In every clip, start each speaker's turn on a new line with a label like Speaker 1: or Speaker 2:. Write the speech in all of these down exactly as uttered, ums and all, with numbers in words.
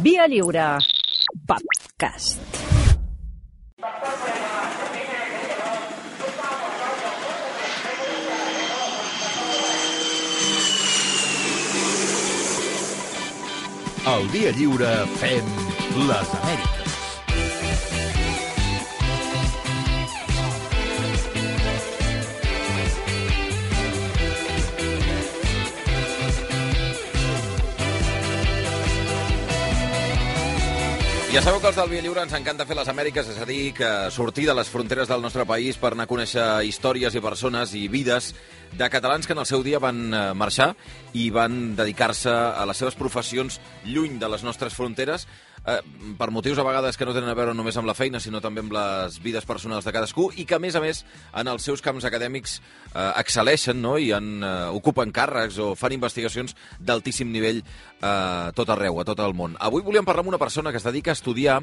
Speaker 1: Via Lliure Podcast.
Speaker 2: Al Via Lliure fem les Amèriques.
Speaker 3: Ja sabeu que els del Via Lliure ens encanta fer les Amèriques, és a dir, que sortir de les fronteres del nostre país per anar a conèixer històries i persones i vides de catalans que en el seu dia van marxar i van dedicar-se a les seves professions lluny de les nostres fronteres, eh, per motius a vegades que no tenen a veure només amb la feina, sinó també amb les vides personals de cadascú, i que, a més a més, en els seus camps acadèmics eh, excel·leixen, no? I en, eh, ocupen càrrecs o fan investigacions d'altíssim nivell eh, a tot arreu, a tot el món. Avui volíem parlar amb una persona que es dedica a estudiar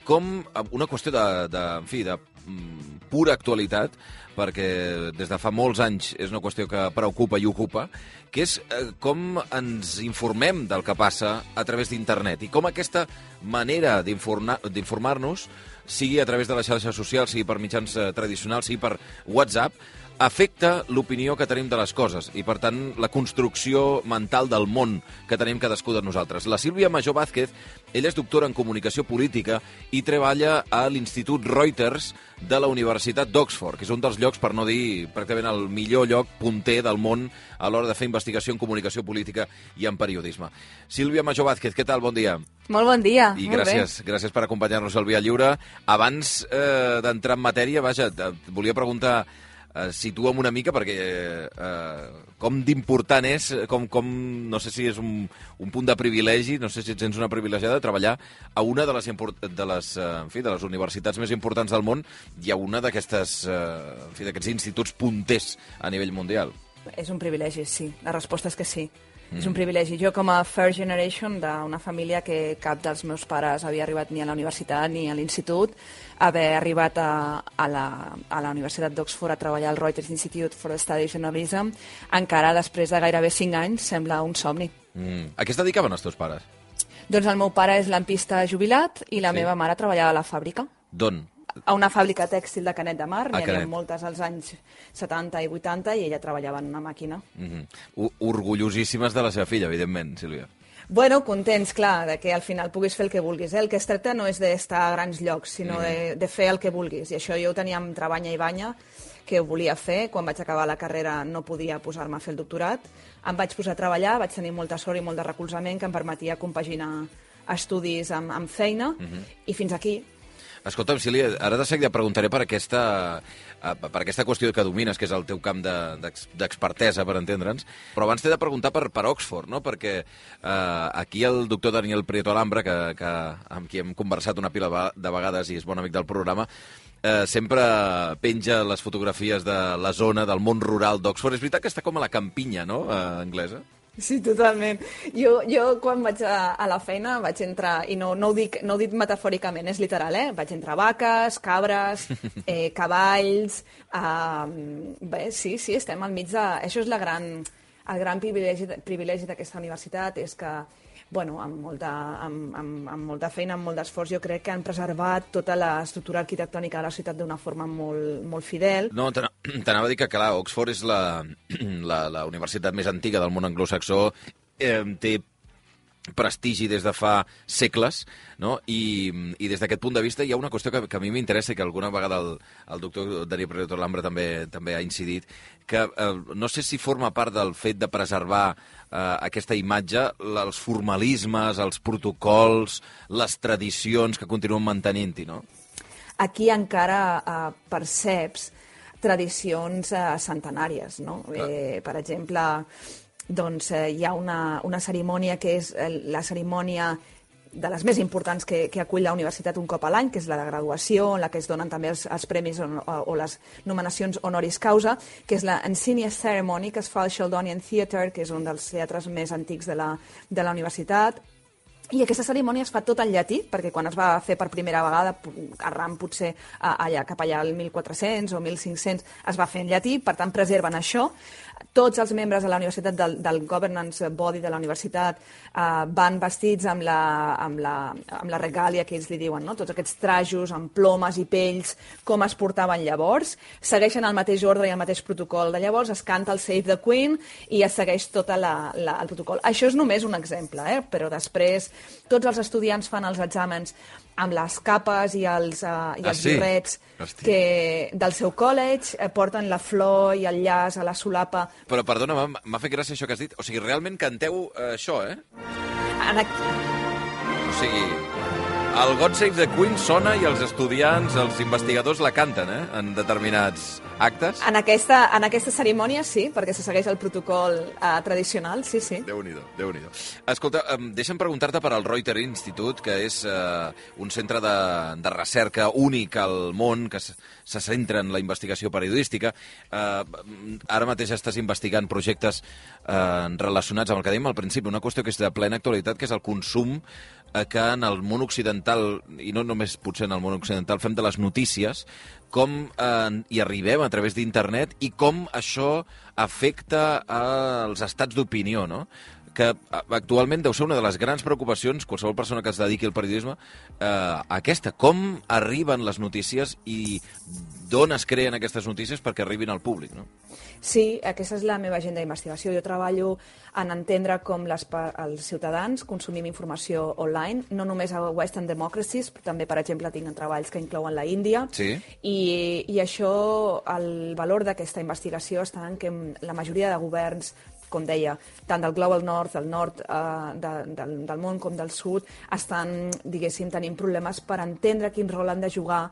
Speaker 3: com una qüestió de, de, en fi, de mm, pura actualitat, perquè des de fa molts anys és una qüestió que preocupa i ocupa, que és eh, com ens informem del que passa a través d'internet i com aquesta manera d'informar-nos, sigui a través de les xarxes socials, sigui per mitjans eh, tradicionals, sigui per WhatsApp, afecta l'opinió que tenim de les coses i, per tant, la construcció mental del món que tenim cadascú de nosaltres. La Sílvia Majó Vázquez, ella és doctora en comunicació política i treballa a l'Institut Reuters de la Universitat d'Oxford, que és un dels llocs, per no dir pràcticament el millor lloc punter del món a l'hora de fer investigació en comunicació política i en periodisme. Sílvia Majó Vázquez, què tal? Bon dia.
Speaker 4: Molt bon dia.
Speaker 3: I
Speaker 4: molt
Speaker 3: gràcies,
Speaker 4: bé.
Speaker 3: gràcies per acompanyar-nos al Via Lliure. Abans eh, d'entrar en matèria, vaja, et volia preguntar, Uh, situa'm una mica, perquè uh, com d'important és, com, com, no sé si és un, un punt de privilegi, no sé si et sents una privilegiada de treballar a una de les, de les, uh, en fi, de les universitats més importants del món i a una d'aquestes, uh, en fi, d'aquests instituts punters a nivell mundial.
Speaker 4: És un privilegi, sí. La resposta és que sí. Mm. És un privilegi. Jo, com a first generation d'una família que cap dels meus pares havia arribat ni a la universitat ni a l'institut, haver arribat a, a, la, a la Universitat d'Oxford a treballar al Reuters Institute for the Study of Journalism, encara després de gairebé cinc anys, sembla un somni.
Speaker 3: Mm. A què es dedicaven els teus pares?
Speaker 4: Doncs el meu pare és lampista jubilat i la
Speaker 3: Sí.
Speaker 4: meva mare treballava a la fàbrica.
Speaker 3: D'on?
Speaker 4: A una fàbrica tèxtil de Canet de Mar, n'hi havia
Speaker 3: Canet.
Speaker 4: moltes als anys setanta i vuitanta, i ella treballava en una màquina.
Speaker 3: Mm-hmm. Orgullosíssimes de la seva filla, evidentment, Sílvia.
Speaker 4: Bueno, contents, clar, de que al final puguis fer el que vulguis. Eh? El que es tracta no és d'estar a grans llocs, sinó mm. de, de fer el que vulguis. I això jo ho tenia amb trebanya i banya, que ho volia fer. Quan vaig acabar la carrera no podia posar-me a fer el doctorat. Em vaig posar a treballar, vaig tenir molta sort i molt de recolzament que em permetia compaginar estudis amb, amb feina, mm-hmm. i fins aquí.
Speaker 3: Escolta'm, Sílvia, ara de seguida preguntaré per aquesta, per aquesta qüestió que domines, que és el teu camp d'expertesa, per entendre'ns, però abans t'he de preguntar per, per Oxford, no? Perquè eh, aquí el doctor Daniel Prieto Alhambra, que, que, amb qui hem conversat una pila de vegades i és bon amic del programa, eh, sempre penja les fotografies de la zona, del món rural d'Oxford. És veritat que està com a la campinya, no?, eh, anglesa?
Speaker 4: Sí, totalment. Jo, jo quan vaig a, a la feina vaig entrar, i no, no, ho dic, no ho dic metafòricament, és literal, eh? Vaig entrar vaques, cabres, eh, cavalls... Eh, bé, sí, sí, estem al mig de... Això és la gran, el gran privilegi, privilegi d'aquesta universitat, és que, bueno, amb molta, amb, amb, amb molta feina, amb molt d'esforç, jo crec que han preservat tota l'estructura arquitectònica de la ciutat d'una forma molt, molt fidel.
Speaker 3: No, t'anava a dir que, clar, Oxford és la, la, la universitat més antiga del món anglosaxó, eh, té prestigi des de fa segles, no? I, i des d'aquest punt de vista hi ha una qüestió que, que a mi m'interessa i que alguna vegada el, el doctor Daniel Prieto Alhambra també, també ha incidit, que eh, no sé si forma part del fet de preservar eh, aquesta imatge, els formalismes, els protocols, les tradicions que continuen mantenint-hi, no?
Speaker 4: Aquí encara eh, perceps tradicions eh, centenàries, no? Eh, per exemple, doncs, eh, hi ha una, una cerimònia que és eh, la cerimònia de les més importants que, que acull la universitat un cop a l'any, que és la de graduació, en la que es donen també els, els premis o, o les nominacions honoris causa, que és la Insignia Ceremony, que es fa al Sheldonian Theatre, que és un dels teatres més antics de la, de la universitat. I aquesta cerimònia es fa tot en llatí, perquè quan es va fer per primera vegada, arran potser allà, cap allà al mil quatre-cents o mil cinc-cents, es va fer en llatí, per tant preserven això. Tots els membres de la universitat, del, del governance body de la universitat, eh, van vestits amb la, amb, la, amb la regàlia que ells li diuen, no? Tots aquests trajos amb plomes i pells, com es portaven llavors. Segueixen el mateix ordre i el mateix protocol de llavors, es canta el Save the Queen i es segueix tot la, la, el protocol. Això és només un exemple, eh? Però després tots els estudiants fan els exàmens amb les capes i els, uh, i
Speaker 3: ah,
Speaker 4: els
Speaker 3: sí?
Speaker 4: birrets que, del seu college, eh, porten la flor i el llaç a la solapa.
Speaker 3: Però, perdona, m'ha fet gràcia això que has dit. O sigui, realment canteu eh, això, eh?
Speaker 4: En aquí...
Speaker 3: O sigui, el God Save the Queen sona i els estudiants, els investigadors la canten, eh? En determinats actes.
Speaker 4: En aquesta, en aquesta cerimònia sí, perquè se segueix el protocol eh, tradicional, sí, sí.
Speaker 3: Déu-n'hi-do, Déu-n'hi-do. Escolta, eh, deixa'm preguntar-te per al Reuter Institute, que és eh, un centre de, de recerca únic al món, que se, se centra en la investigació periodística. Eh, ara mateix estàs investigant projectes eh, relacionats amb el que dèiem al principi, una qüestió que és de plena actualitat, que és el consum eh, que en el món occidental, i no només potser en el món occidental, fem de les notícies, com eh, hi arribem a través d'internet i com això afecta als estats d'opinió, no? Que actualment deu ser una de les grans preocupacions, qualsevol persona que es dediqui al periodisme, eh, aquesta, com arriben les notícies i d'on es creen aquestes notícies perquè arribin al públic, no?
Speaker 4: Sí, aquesta és la meva agenda d'investigació. Jo treballo en entendre com les, els ciutadans consumim informació online, no només a Western Democracies, però també, per exemple, tinc treballs que inclouen la Índia.
Speaker 3: Sí.
Speaker 4: I, i això, el valor d'aquesta investigació està en que la majoria de governs, com deia, tant del Global North, del nord eh, de, del, del món com del sud, estan, diguéssim, tenint problemes per entendre quin rol han de jugar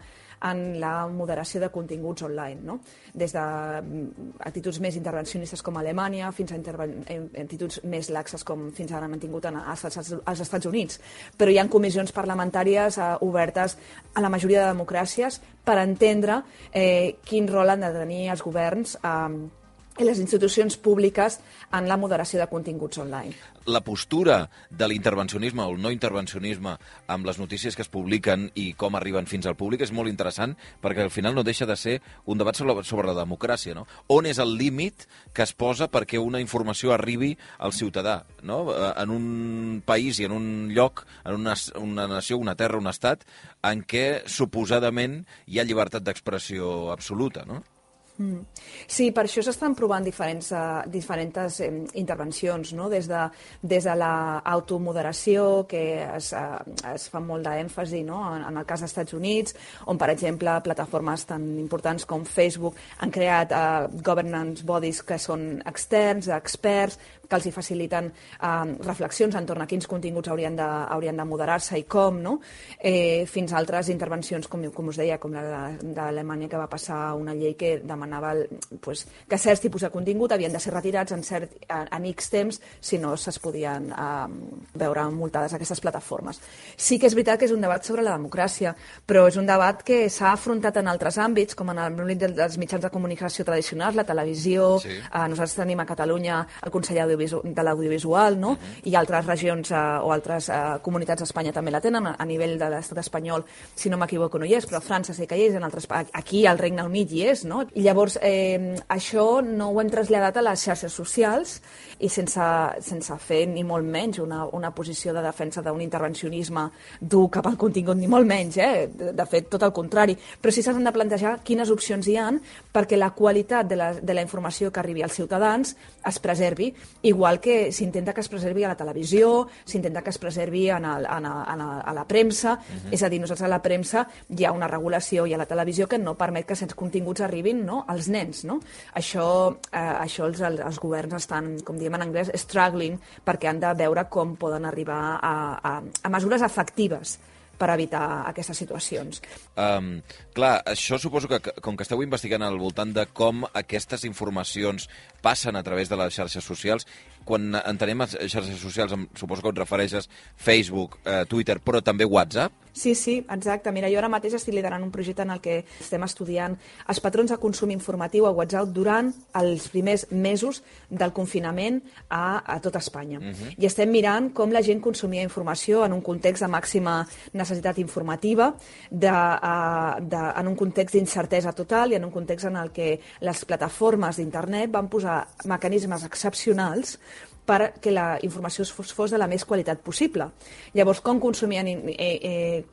Speaker 4: en la moderació de continguts online, no? Des d'actituds més intervencionistes com Alemanya fins a actituds més laxes com fins ara han tingut als Estats Units. Però hi ha comissions parlamentàries eh, obertes a la majoria de democràcies per entendre eh, quin rol han de tenir els governs eh, i les institucions públiques en la moderació de continguts online.
Speaker 3: La postura de l'intervencionisme o el no intervencionisme amb les notícies que es publiquen i com arriben fins al públic és molt interessant perquè al final no deixa de ser un debat sobre, sobre la democràcia, no? On és el límit que es posa perquè una informació arribi al ciutadà, no? En un país i en un lloc, en una, una nació, una terra, un estat, en què suposadament hi ha llibertat d'expressió absoluta, no?
Speaker 4: Mm. Sí, per això s'estan provant diferents, uh, diferents eh, intervencions, no? Des de, des de l'automoderació, que es, uh, es fa molt d'èmfasi, no? en, en el cas dels Estats Units, on, per exemple, plataformes tan importants com Facebook han creat uh, governance bodies que són externs, experts, que els hi faciliten eh, reflexions entorn a quins continguts haurien de, haurien de moderar-se i com, no? Eh, fins a altres intervencions, com, com us deia, com la d'Alemanya, que va passar una llei que demanava el, pues, que certs tipus de contingut havien de ser retirats en, cert, en, en X temps, si no se's podien eh, veure multades aquestes plataformes. Sí que és veritat que és un debat sobre la democràcia, però és un debat que s'ha afrontat en altres àmbits, com en l'àmbit dels mitjans de comunicació tradicionals, la televisió, sí. eh, nosaltres tenim a Catalunya el Consell de l'Audiovisual, no? Uh-huh. I altres regions eh, o altres eh, comunitats d'Espanya també la tenen, a nivell de l'estat espanyol, si no m'equivoco, no hi és, però a França sí que hi és, en altres, aquí al Regne Unit hi és, no? I llavors, eh, això no ho hem traslladat a les xarxes socials i sense, sense fer ni molt menys una, una posició de defensa d'un intervencionisme dur cap al contingut, ni molt menys, eh? De, de fet, tot el contrari. Però sí s'han de plantejar quines opcions hi han perquè la qualitat de la, de la informació que arribi als ciutadans es preservi, igual que s'intenta que es preservi a la televisió, s'intenta que es preservi en el, en a, en a, a la premsa, uh-huh. És a dir, nosaltres a la premsa hi ha una regulació i a la televisió que no permet que certs continguts arribin, no?, als nens, no? Això, eh, això els, els governs estan, com diem en anglès, struggling, perquè han de veure com poden arribar a, a, a mesures efectives per evitar aquestes situacions.
Speaker 3: Um, clar, això suposo que, com que esteu investigant al voltant de com aquestes informacions passen a través de les xarxes socials, quan entenem les xarxes socials, suposo que et refereixes Facebook, eh, Twitter, però també WhatsApp?
Speaker 4: Sí, sí, exacte. Mira, jo ara mateix estic liderant un projecte en el que estem estudiant els patrons de consum informatiu a WhatsApp durant els primers mesos del confinament a, a tot Espanya. Uh-huh. I estem mirant com la gent consumia informació en un context de màxima necessitat informativa, de, uh, de, en un context d'incertesa total i en un context en el que les plataformes d'internet van posar mecanismes excepcionals perquè la informació fos, fos de la més qualitat possible. Llavors, com consumien eh, eh,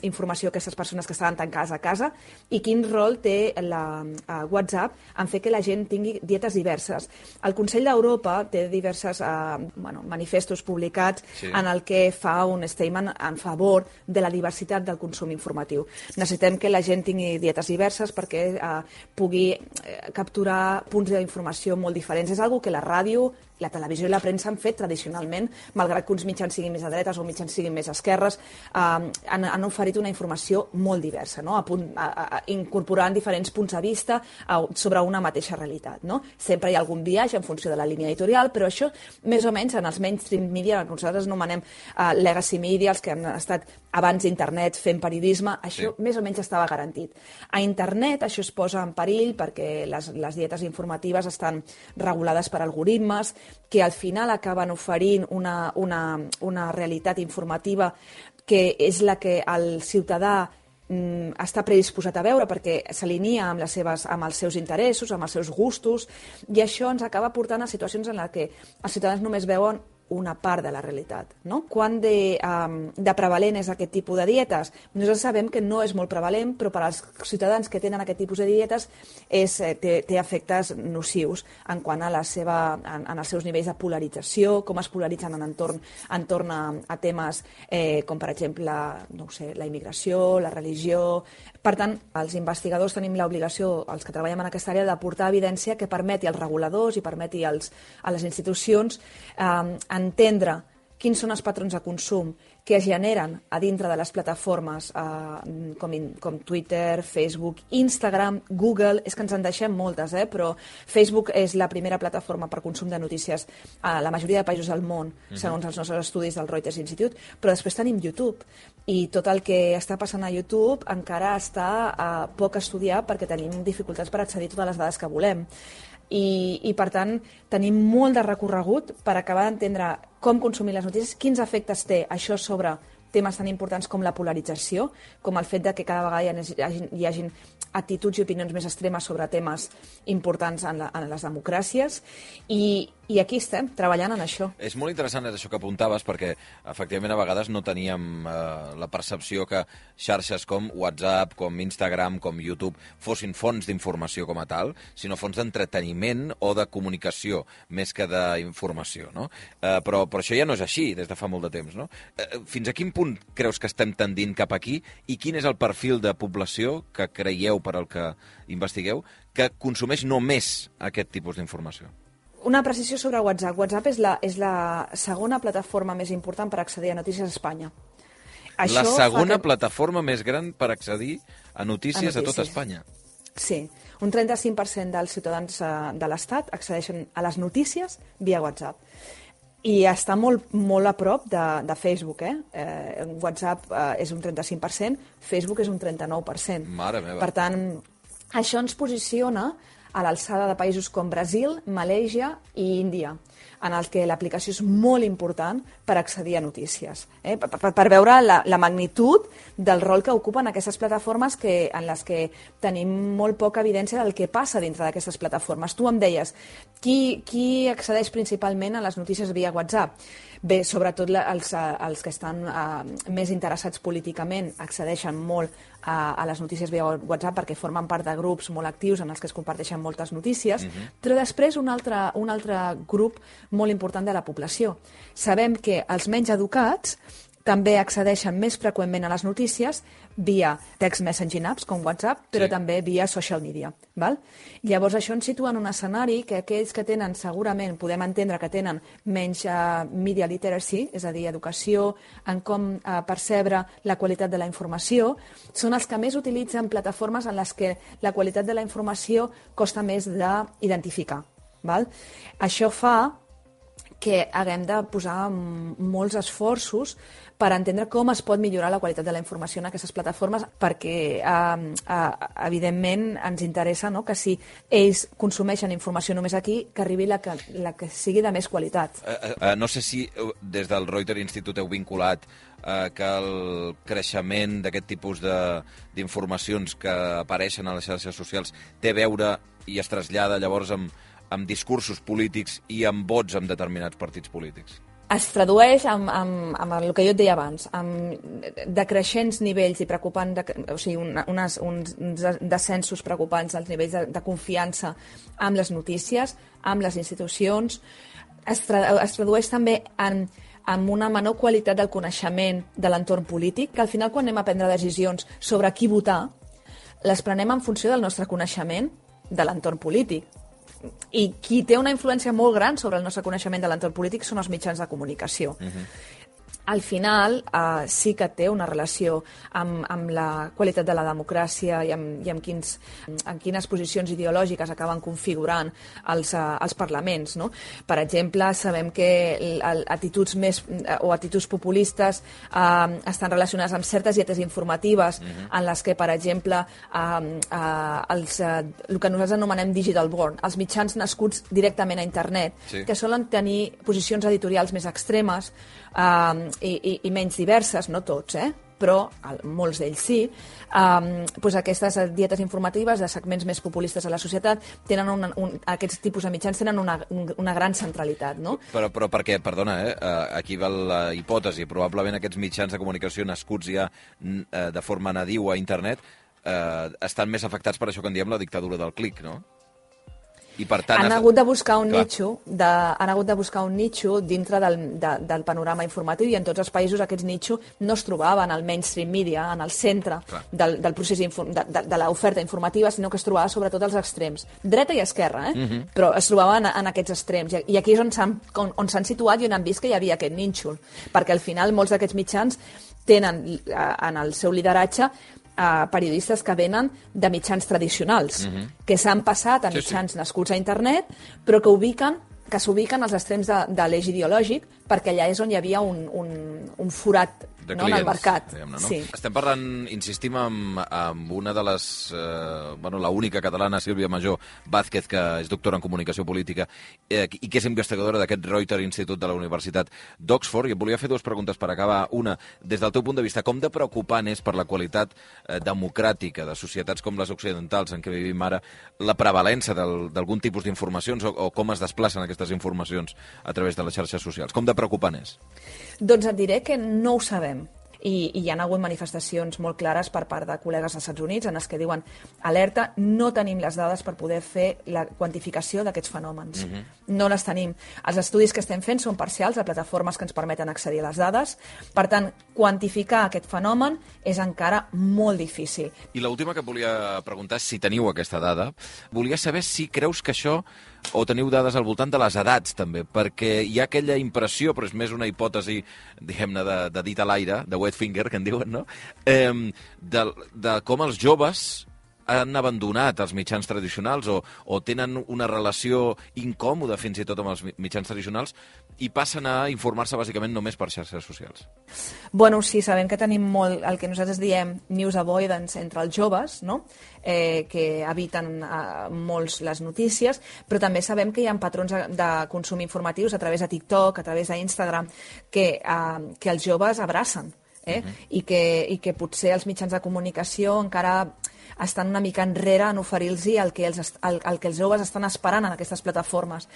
Speaker 4: informació aquestes persones que estaven tancades a casa i quin rol té la, eh, WhatsApp en fer que la gent tingui dietes diverses. El Consell d'Europa té diversos eh, bueno, manifestos publicats sí. en el que fa un statement en favor de la diversitat del consum informatiu. Necessitem que la gent tingui dietes diverses perquè eh, pugui eh, capturar punts d'informació molt diferents. És una cosa que la ràdio, la televisió i la premsa han fet tradicionalment, malgrat que uns mitjans siguin més a dretes o mitjans siguin més a esquerres, eh, han, han oferit una informació molt diversa, no? a punt, a, a, incorporant diferents punts de vista a, sobre una mateixa realitat. No? Sempre hi ha algun viatge en funció de la línia editorial, però això, més o menys, en els mainstream media, que nosaltres anomenem uh, legacy media, els que han estat abans d'internet fent periodisme, això sí. més o menys estava garantit. A internet això es posa en perill perquè les, les dietes informatives estan regulades per algoritmes, que al final acaben oferint una, una, una realitat informativa que és la que el ciutadà mm, està predisposat a veure perquè s'alinea amb, les seves, amb els seus interessos, amb els seus gustos, i això ens acaba portant a situacions en les que els ciutadans només veuen una part de la realitat. No? Quan de, um, de prevalent és aquest tipus de dietes? Nosaltres sabem que no és molt prevalent, però per als ciutadans que tenen aquest tipus de dietes és, té, té efectes nocius en quant a, la seva, en, en els seus nivells de polarització, com es polaritzen en entorn, entorn a, a temes eh, com, per exemple, no ho sé, la immigració, la religió. Per tant, els investigadors tenim l'obligació, els que treballem en aquesta àrea, d'aportar evidència que permeti als reguladors i permeti als, a les institucions eh, entendre quins són els patrons de consum que es generen a dintre de les plataformes eh, com, in, com Twitter, Facebook, Instagram, Google, és que ens en deixem moltes, eh? però Facebook és la primera plataforma per consum de notícies a la majoria de països del món, uh-huh. segons els nostres estudis del Reuters Institute, però després tenim YouTube, i tot el que està passant a YouTube encara està eh, poc estudiat perquè tenim dificultats per accedir a totes les dades que volem. I, i per tant tenim molt de recorregut per acabar d'entendre com consumir les notícies, quins efectes té això sobre temes tan importants com la polarització, com el fet de que cada vegada hi hagi, hi hagi actituds i opinions més extremes sobre temes importants en, la, en les democràcies, i, i aquí estem, treballant en això.
Speaker 3: És molt interessant això que apuntaves, perquè efectivament a vegades no teníem eh, la percepció que xarxes com WhatsApp, com Instagram, com YouTube fossin fonts d'informació com a tal, sinó fonts d'entreteniment o de comunicació, més que d'informació, no? Eh, però, però això ja no és així des de fa molt de temps, no? Eh, fins a quin punt creus que estem tendint cap aquí, i quin és el perfil de població que creieu, per al que investigueu, que consumeix només aquest tipus d'informació?
Speaker 4: Una precisió sobre WhatsApp. WhatsApp és la, és la segona plataforma més important per accedir a notícies a Espanya.
Speaker 3: Això la segona que... plataforma més gran per accedir a notícies a, notícies. a tot Espanya.
Speaker 4: Sí. Un trenta-cinc per cent dels ciutadans de l'Estat accedeixen a les notícies via WhatsApp. I està molt, molt a prop de, de Facebook. Eh? Eh, WhatsApp eh, és un trenta-cinc per cent, Facebook és un trenta-nou per cent.
Speaker 3: Mare meva.
Speaker 4: Per tant, això ens posiciona a l'alçada de països com Brasil, Malàisia i Índia, en el que l'aplicació és molt important per accedir a notícies, eh? per, per, per veure la, la magnitud del rol que ocupen aquestes plataformes que, en les que tenim molt poca evidència del que passa dintre d'aquestes plataformes. Tu em deies, qui, qui accedeix principalment a les notícies via WhatsApp? Bé, sobretot els, els que estan uh, més interessats políticament accedeixen molt a, a les notícies via WhatsApp perquè formen part de grups molt actius en els que es comparteixen moltes notícies, uh-huh. però després un altre, un altre grup molt important de la població. Sabem que els menys educats també accedeixen més freqüentment a les notícies via text messaging apps com WhatsApp, però sí. també via social media. Val? Llavors això ens situa en un escenari que aquells que tenen, segurament, podem entendre que tenen menys uh, media literacy, és a dir, educació en com uh, percebre la qualitat de la informació, són els que més utilitzen plataformes en les que la qualitat de la informació costa més d'identificar. Val? Això fa que haguem de posar molts esforços per entendre com es pot millorar la qualitat de la informació en aquestes plataformes, perquè eh, eh, evidentment ens interessa, no?, que si ells consumeixen informació només aquí, que arribi la que, la que sigui de més qualitat.
Speaker 3: Uh, uh, no sé si des del Reuters Institute heu vinculat uh, que el creixement d'aquest tipus d'informacions que apareixen a les xarxes socials té a veure i es trasllada llavors amb, amb discursos polítics i amb vots en determinats partits polítics.
Speaker 4: Es tradueix amb, amb, amb el que jo et deia abans, amb decreixents nivells i preocupant, de, o sigui, una, unes, uns descensos preocupants als nivells de, de confiança amb les notícies, amb les institucions. Es, tra, es tradueix també en, en una menor qualitat del coneixement de l'entorn polític, que al final quan anem a prendre decisions sobre qui votar, les prenem en funció del nostre coneixement de l'entorn polític. I qui té una influència molt gran sobre el nostre coneixement de l'entorn polític són els mitjans de comunicació. Uh-huh. Al final eh, sí que té una relació amb, amb la qualitat de la democràcia i amb, i amb, quins, amb quines posicions ideològiques acaben configurant els, eh, els parlaments, no? Per exemple, sabem que actituds més o actituds populistes eh, estan relacionades amb certes dietes informatives uh-huh. en les que, per exemple, eh, eh, els, eh, el que nosaltres anomenem digital born, els mitjans nascuts directament a internet, sí. que solen tenir posicions editorials més extremes, Uh, i, i, i menys diverses, no tots, eh? però el, molts d'ells sí, um, doncs aquestes dietes informatives de segments més populistes a la societat tenen una, un, aquests tipus de mitjans tenen una, una gran centralitat. No?
Speaker 3: Però, però perquè, perdona, eh, aquí va la hipòtesi, probablement aquests mitjans de comunicació nascuts ja eh, de forma nadiu a internet eh, estan més afectats per això que en diem la dictadura del clic, no? I per tant,
Speaker 4: han hagut de buscar un nitxo, de, han hagut de buscar un nitxo dintre del, de, del panorama informatiu, i en tots els països aquests nitxos no es trobaven al mainstream media, en el centre del, del procés de, de, de l'oferta informativa, sinó que es trobava sobretot als extrems, dreta i esquerra, eh? uh-huh. però es trobaven en, en aquests extrems, i aquí és on s'han on s'han situat i on han vist que hi havia aquest nínxol, perquè al final molts d'aquests mitjans tenen en el seu lideratge a periodistes que venen de mitjans tradicionals, uh-huh. que s'han passat a sí, mitjans sí. nascuts a internet, però que ubiquen que s'ubiquen als extrems de, de l'eix ideològic, perquè allà és on hi havia un, un, un forat
Speaker 3: de
Speaker 4: no,
Speaker 3: clients,
Speaker 4: en el mercat.
Speaker 3: No?
Speaker 4: Sí.
Speaker 3: Estem parlant, insistim, amb, amb una de les... Eh, bueno, la única catalana, Sílvia Majó Vázquez, que és doctora en comunicació política eh, i que és investigadora d'aquest Reuters Institute de la Universitat d'Oxford. I et volia fer dues preguntes per acabar. Una, des del teu punt de vista, com de preocupant és per la qualitat eh, democràtica de societats com les occidentals en què vivim ara la prevalença d'algun tipus d'informacions o, o com es desplacen aquestes informacions a través de les xarxes socials? Com de preocupant és?
Speaker 4: Doncs et diré que no ho sabem. I, i hi ha hagut manifestacions molt clares per part de col·legues als Estats Units en els que diuen alerta, no tenim les dades per poder fer la quantificació d'aquests fenòmens. Uh-huh. No les tenim. Els estudis que estem fent són parcials a plataformes que ens permeten accedir a les dades. Per tant, quantificar aquest fenomen és encara molt difícil.
Speaker 3: I l'última que et volia preguntar, si teniu aquesta dada, volia saber si creus que això o teniu dades al voltant de les edats, també, perquè hi ha aquella impressió, però és més una hipòtesi, diguem-ne, de, de dit a l'aire, de wet finger, que en diuen, no?, eh, de, de com els joves han abandonat els mitjans tradicionals o, o tenen una relació incòmoda fins i tot amb els mitjans tradicionals i passen a informar-se bàsicament només per xarxes socials.
Speaker 4: Bueno, sí, sabem que tenim molt el que nosaltres diem news avoidance entre els joves, no? eh, que eviten eh, molts les notícies, però també sabem que hi ha patrons de consum informatius a través de TikTok, a través d'Instagram, que, eh, que els joves abracen. Eh? Uh-huh. I, que, i que potser els mitjans de comunicació encara estan una mica enrere en oferir-los el, que els, el, el que els joves estan esperant en aquestes plataformes.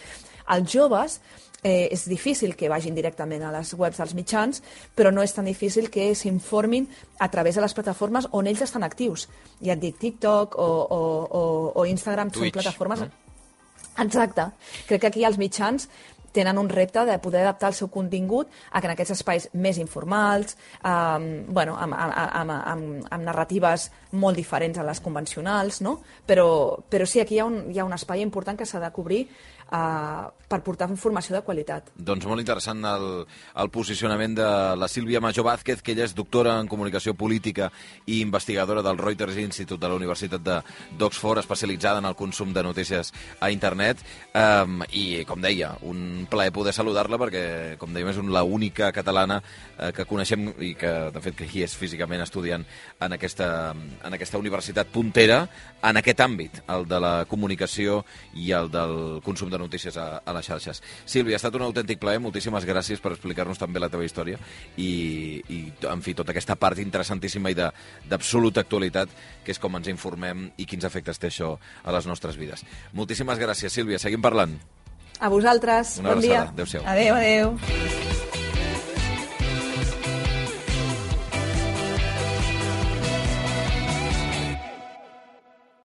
Speaker 4: Els joves eh, és difícil que vagin directament a les webs dels mitjans, però no és tan difícil que s'informin a través de les plataformes on ells estan actius. Ja et dic, TikTok o, o, o, o Instagram
Speaker 3: Twitch,
Speaker 4: són plataformes...
Speaker 3: No?
Speaker 4: Exacte. Crec que aquí els mitjans tenen un repte de poder adaptar el seu contingut a que en aquests espais més informals, eh, bueno, amb, amb, amb, amb narratives molt diferents a les convencionals, no? Però, però sí, aquí hi ha un, hi ha un espai important que s'ha de cobrir Uh, per portar informació de qualitat.
Speaker 3: Doncs molt interessant el, el posicionament de la Sílvia Majó Vázquez, que ella és doctora en comunicació política i investigadora del Reuters Institute de la Universitat d'Oxford, especialitzada en el consum de notícies a internet, um, i, com deia, un un plaer poder saludar-la perquè, com dèiem, és l'única catalana eh, que coneixem i que, de fet, que hi és físicament estudiant en aquesta, en aquesta universitat puntera en aquest àmbit, el de la comunicació i el del consum de notícies a, a les xarxes. Sílvia, ha estat un autèntic plaer, moltíssimes gràcies per explicar-nos també la teva història i, i en fi, tota aquesta part interessantíssima i d'absoluta actualitat, que és com ens informem i quins efectes té això a les nostres vides. Moltíssimes gràcies, Sílvia. Seguim parlant.
Speaker 4: A vosaltres.
Speaker 3: Una
Speaker 4: bon dia.
Speaker 3: Adéu-siau.
Speaker 4: Adéu, adéu.